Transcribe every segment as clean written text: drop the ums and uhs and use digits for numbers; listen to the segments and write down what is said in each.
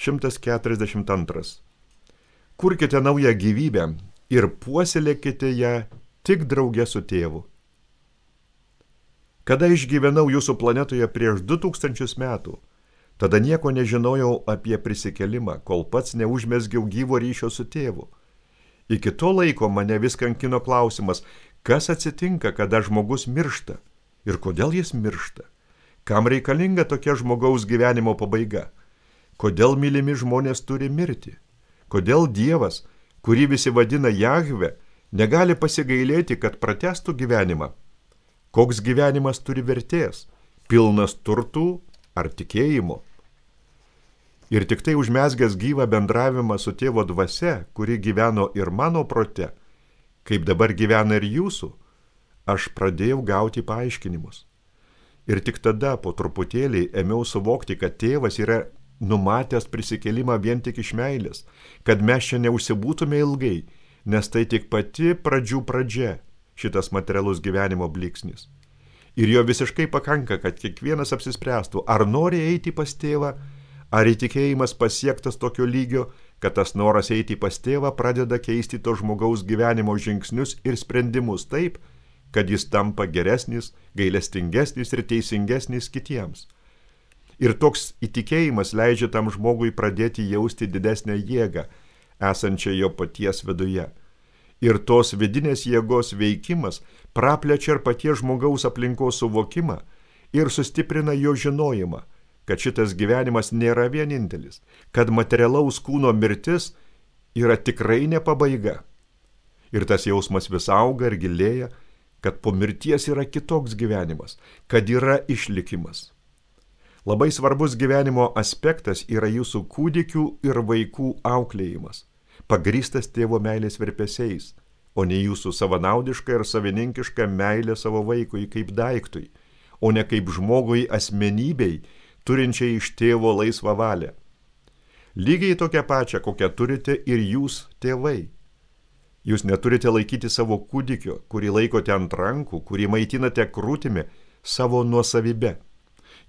142. Kurkite naują gyvybę ir puoselėkite ją tik drauge su tėvu. Kada išgyvenau jūsų planetoje prieš 2000 metų, tada nieko nežinojau apie prisikėlimą, kol pats neužmesgiau gyvo ryšio su tėvu. Iki to laiko mane vis kankino klausimas, kas atsitinka, kada žmogus miršta ir kodėl jis miršta. Kam reikalinga tokia žmogaus gyvenimo pabaiga? Kodėl mylimi žmonės turi mirti? Kodėl Dievas, kurį visi vadina Jahve, negali pasigailėti, kad pratęstų gyvenimą? Koks gyvenimas turi vertės? Pilnas turtų ar tikėjimo? Ir tik tai užmezgęs gyvą bendravimą su tėvo dvasia, kuri gyveno ir mano prote, kaip dabar gyvena ir jūsų, aš pradėjau gauti paaiškinimus. Ir tik tada po truputėlį ėmiau suvokti, kad tėvas yra numatęs prisikėlimą vien tik iš meilės, kad mes čia neužsibūtume ilgai, nes tai tik pati pradžių pradžia, šitas materialus gyvenimo blyksnis. Ir jo visiškai pakanka, kad kiekvienas apsispręstų, ar nori eiti pas tėvą, ar įtikėjimas pasiektas tokio lygio, kad tas noras eiti pas tėvą pradeda keisti to žmogaus gyvenimo žingsnius ir sprendimus taip, kad jis tampa geresnis, gailestingesnis ir teisingesnis kitiems. Ir toks įtikėjimas leidžia tam žmogui pradėti jausti didesnę jėgą, esančią jo paties viduje. Ir tos vidinės jėgos veikimas praplečia ir paties žmogaus aplinkos suvokimą ir sustiprina jo žinojimą, kad šitas gyvenimas nėra vienintelis, kad materialaus kūno mirtis yra tikrai ne pabaiga. Ir tas jausmas vis auga ir gilėja, kad po mirties yra kitoks gyvenimas, kad yra išlikimas. Labai svarbus gyvenimo aspektas yra jūsų kūdikių ir vaikų auklėjimas, pagrįstas tėvo meilės virpesiais, o ne jūsų savanaudiška ir savininkiška meilė savo vaikui kaip daiktui, o ne kaip žmogui asmenybei, turinčiai iš tėvo laisvą valią. Lygiai tokią pačią, kokią turite ir jūs, tėvai. Jūs neturite laikyti savo kūdikio, kurį laikote ant rankų, kurį maitinate krūtimi, savo nuosavybe.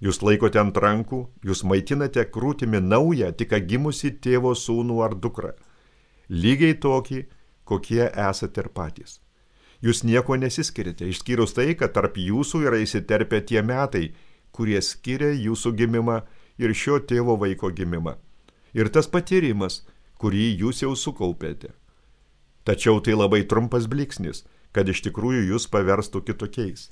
Jūs laikote ant rankų, jūs maitinate krūtimi naują, tik gimusi tėvo sūnų ar dukrą. Lygiai tokį, kokie esate ir patys. Jūs nieko nesiskirite, išskyrus tai, kad tarp jūsų yra įsiterpę tie metai, kurie skiria jūsų gimimą ir šio tėvo vaiko gimimą. Ir tas patyrimas, kurį jūs jau sukaupėte. Tačiau tai labai trumpas blyksnis, kad iš tikrųjų jūs paverstų kitokiais.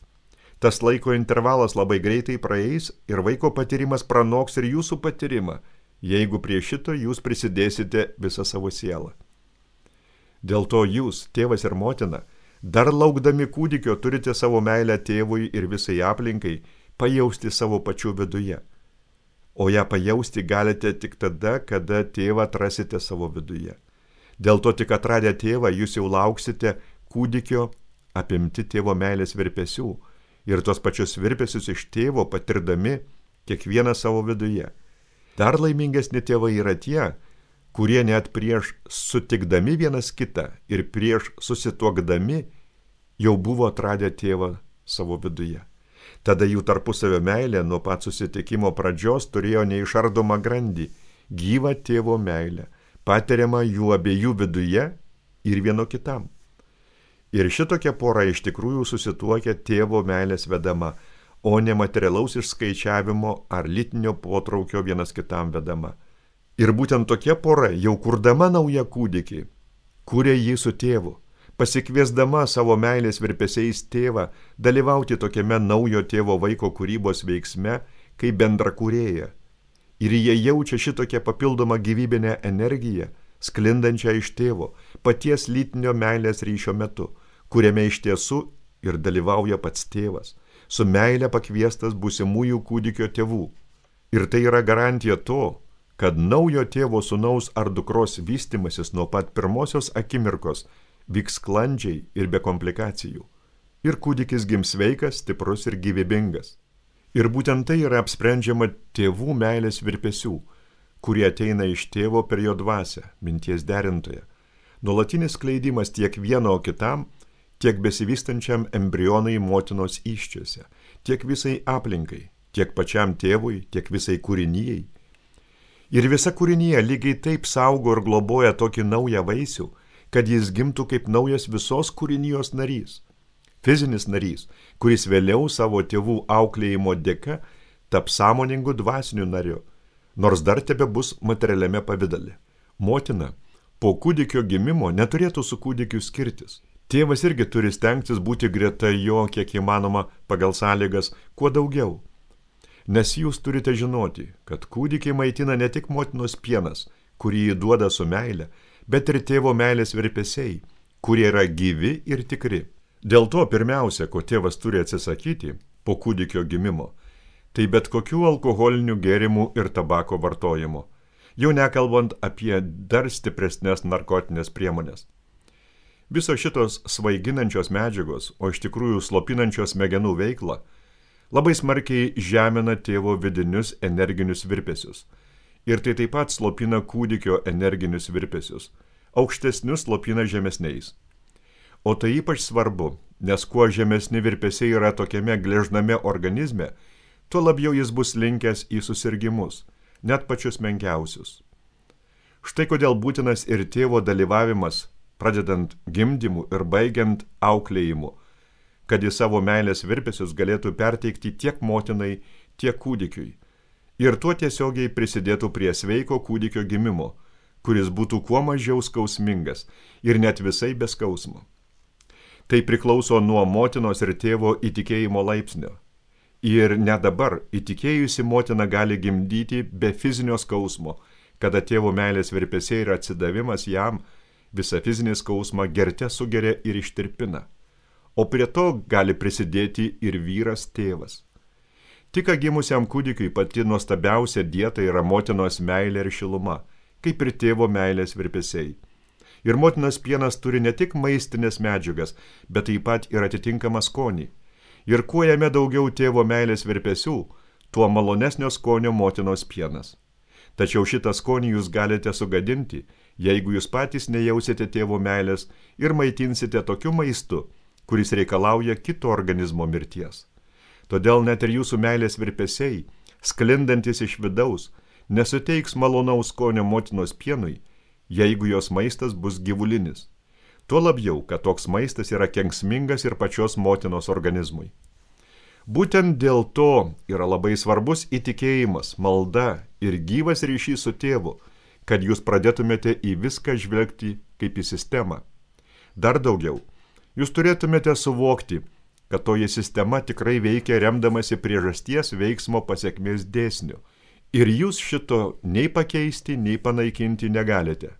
Tas laiko intervalas labai greitai praeis ir vaiko patyrimas pranoks ir jūsų patyrimą, jeigu prie šito jūs prisidėsite visą savo sielą. Dėl to jūs, tėvas ir motina, dar laukdami kūdikio turite savo meilę tėvui ir visai aplinkai pajausti savo pačių viduje. O ją pajausti galite tik tada, kada tėvą atrasite savo viduje. Dėl to tik atradę tėvą jūs jau lauksite kūdikio apimti tėvo meilės virpesių ir tos pačius virpesius iš tėvo patirdami kiekvieną savo viduje. Dar laimingesni tėvai yra tie, kurie net prieš sutikdami vienas kitą ir prieš susituokdami jau buvo atradę tėvą savo viduje. Tada jų tarpusavio meilė nuo pat susitikimo pradžios turėjo neišardomą grandį, gyvą tėvo meilę, patiriamą jų abiejų viduje ir vieno kitam. Ir šitokia pora iš tikrųjų susituokia tėvo meilės vedama, o ne materialaus išskaičiavimo ar lytinio potraukio vienas kitam vedama. Ir būtent tokia pora, jau kurdama naują kūdikį, kūrė jį su tėvu, pasikviesdama savo meilės virpesiais tėvą dalyvauti tokiame naujo tėvo vaiko kūrybos veiksme kaip bendrakūrėja. Ir jie jaučia šitokią papildomą gyvybinę energiją, sklindančią iš tėvo, paties lytinio meilės ryšio metu, kuriame iš tiesų ir dalyvauja pats tėvas, su meilė pakviestas būsimųjų kūdikio tėvų. Ir tai yra garantija to, kad naujo tėvo sūnaus ar dukros vystimasis nuo pat pirmosios akimirkos vyks sklandžiai ir be komplikacijų. Ir kūdikis gims sveikas, stiprus ir gyvybingas. Ir būtent tai yra apsprendžiama tėvų meilės virpesių, kurie ateina iš tėvo per jo dvasią, minties derintoje. Nuolatinis skleidimas tiek vieno kitam, tiek besivystančiam embrionai motinos įsčiose, tiek visai aplinkai, tiek pačiam tėvui, tiek visai kūrinijai. Ir visa kūrinyje lygiai taip saugo ir globoja tokį naują vaisių, kad jis gimtų kaip naujas visos kūrinijos narys. Fizinis narys, kuris vėliau savo tėvų auklėjimo dėka taps sąmoningu dvasiniu nariu, nors dar tebe bus materialiame pavidale. Motina po kūdikio gimimo neturėtų su kūdikiu skirtis. Tėvas irgi turi stengtis būti greta jo, kiek įmanoma pagal sąlygas, kuo daugiau. Nes jūs turite žinoti, kad kūdikiai maitina ne tik motinos pienas, kurį jį duoda su meile, bet ir tėvo meilės virpesiai, kurie yra gyvi ir tikri. Dėl to pirmiausia, ko tėvas turi atsisakyti po kūdikio gimimo, tai bet kokių alkoholinių gėrimų ir tabako vartojimo, jau nekalbant apie dar stipresnės narkotinės priemonės. Visos šitos svaiginančios medžiagos, o iš tikrųjų slopinančios smegenų veiklą, labai smarkiai žemina tėvo vidinius energinius virpesius. Ir tai taip pat slopina kūdikio energinius virpesius, aukštesnius slopina žemesniais. O tai ypač svarbu, nes kuo žemesni virpesiai yra tokiame gležname organizme, tuo labiau jis bus linkęs į susirgimus, net pačius menkiausius. Štai kodėl būtinas ir tėvo dalyvavimas, pradedant gimdymu ir baigiant auklėjimu, kad į savo meilės virpesius galėtų perteikti tiek motinai, tiek kūdikiui. Ir tuo tiesiogiai prisidėtų prie sveiko kūdikio gimimo, kuris būtų kuo mažiau skausmingas ir net visai be skausmo. Tai priklauso nuo motinos ir tėvo įtikėjimo laipsnio. Ir net dabar įtikėjusi motina gali gimdyti be fizinio skausmo, kada tėvo meilės virpesiai ir atsidavimas jam visą fizinį skausmą gerte sugeria ir ištirpina. O prie to gali prisidėti ir vyras tėvas. Tik gimusiam kūdikiui pati nuostabiausia dieta yra motinos meilė ir šiluma, kaip ir tėvo meilės virpesiai. Ir motinos pienas turi ne tik maistinės medžiagas, bet taip pat ir atitinkamą skonį. Ir kuo jame daugiau tėvo meilės virpesių, tuo malonesnio skonio motinos pienas. Tačiau šitą skonį jūs galite sugadinti, jeigu jūs patys nejausite tėvo meilės ir maitinsite tokiu maistu, kuris reikalauja kito organizmo mirties. Todėl net ir jūsų meilės virpesiai, sklindantis iš vidaus, nesuteiks malonaus skonio motinos pienui, jeigu jos maistas bus gyvulinis. Tuo labiau, kad toks maistas yra kenksmingas ir pačios motinos organizmui. Būtent dėl to yra labai svarbus įtikėjimas, malda ir gyvas ryšys su tėvu, kad jūs pradėtumėte į viską žvelgti kaip į sistemą. Dar daugiau, jūs turėtumėte suvokti, kad toji sistema tikrai veikia remdamasi priežasties veiksmo pasekmės dėsniu. Ir jūs šito nei pakeisti, nei panaikinti negalite.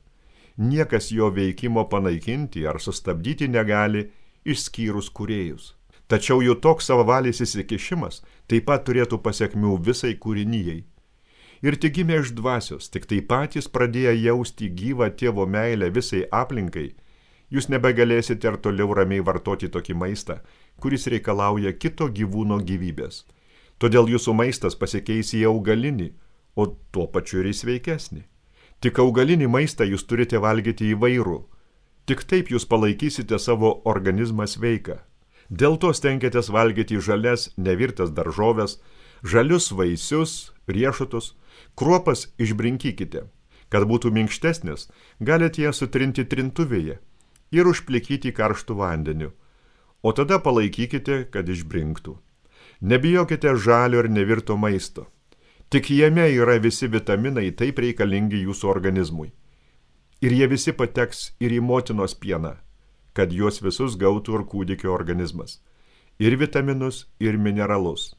Niekas jo veikimo panaikinti ar sustabdyti negali, išskyrus kūrėjus. Tačiau jų toks savavalis įsikišimas taip pat turėtų pasekmių visai kūrinijai. Ir tik gimė iš dvasios, tik tai patys pradėję jausti gyvą tėvo meilę visai aplinkai, jūs nebegalėsite ir toliau ramiai vartoti tokį maistą, kuris reikalauja kito gyvūno gyvybės. Todėl jūsų maistas pasikeis į augalinį, o tuo pačiu ir į sveikesnį. Tik augalinį maistą jūs turite valgyti įvairų. Tik taip jūs palaikysite savo organizmą sveiką. Dėl to stenkitės valgyti žalias, nevirtas daržoves, žalius vaisius, riešutus, kruopas išbrinkykite. Kad būtų minkštesnis, galite jas sutrinti trintuvėje ir užplikyti karštų vandeniu, o tada palaikykite, kad išbrinktų. Nebijokite žalio ir nevirto maisto. Tik jame yra visi vitaminai taip reikalingi jūsų organizmui. Ir jie visi pateks ir į motinos pieną, kad juos visus gautų ir kūdikio organizmas. Ir vitaminus, ir mineralus.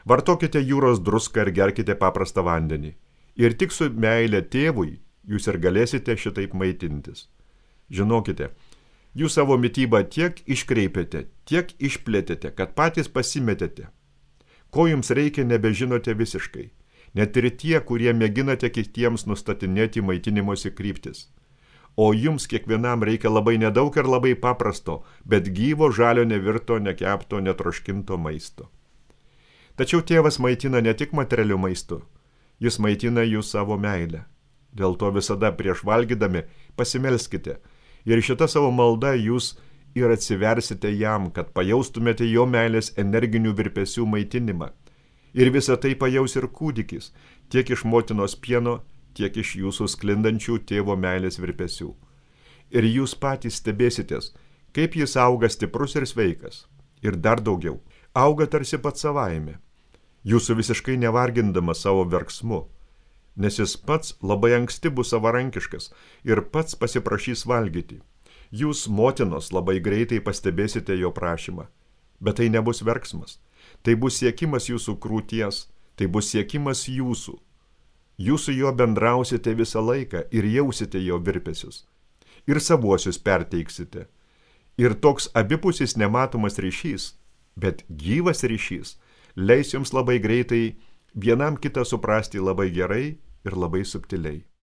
Vartokite jūros druską ir gerkite paprastą vandenį. Ir tik su meile tėvui jūs ir galėsite šitaip maitintis. Žinokite, jūs savo mitybą tiek iškreipėte, tiek išplėtėte, kad patys pasimetėte. Ko jums reikia, nebežinote visiškai. Net ir tie, kurie mėginate kitiems nustatinėti maitinimosi kryptis. O jums kiekvienam reikia labai nedaug ir labai paprasto, bet gyvo žalio nevirto, nekepto, netroškinto maisto. Tačiau tėvas maitina ne tik materialiu maistu, jis maitina jūs savo meilę. Dėl to visada prieš valgydami pasimelskite ir šitą savo maldą jūs ir atsiversite jam, kad pajaustumėte jo meilės energinių virpesių maitinimą. Ir visą tai pajaus ir kūdikis, tiek iš motinos pieno, tiek iš jūsų sklindančių tėvo meilės virpesių. Ir jūs patys stebėsitės, kaip jis auga stiprus ir sveikas. Ir dar daugiau, auga tarsi pats savaime, jūsų visiškai nevargindamas savo verksmu, nes jis pats labai anksti bus savarankiškas ir pats pasiprašys valgyti. Jūs, motinos, labai greitai pastebėsite jo prašymą, bet tai nebus verksmas, tai bus siekimas jūsų krūties, tai bus siekimas jūsų. Jūs su juo bendrausite visą laiką ir jausite jo virpesius. Ir savuosius perteiksite. Ir toks abipusis nematomas ryšys, bet gyvas ryšys, leis jums labai greitai vienam kitą suprasti labai gerai ir labai subtiliai.